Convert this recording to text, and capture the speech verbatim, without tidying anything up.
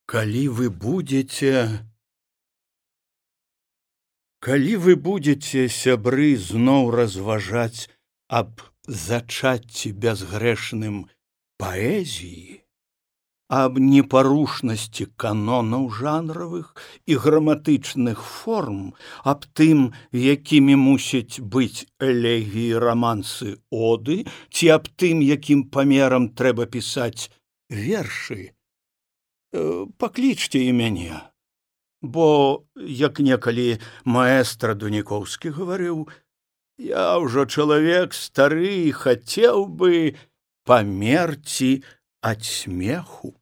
Калі вы будете, калі вы будете, сябры, зноў разважаць аб зачацці бязгрэшным паэзіі, аб непарушнасці канонаў жанравых і граматычных форм, аб тым, якімі мусяць быць элегіі, рамансы, оды, ці аб тым, якім памерам трэба пісаць вершы, паклічце і мяне, бо, як некалі маэстра Дуніковскі гаварыў, я ўжо чалавек стары і хацеў бы памерці ад смеху.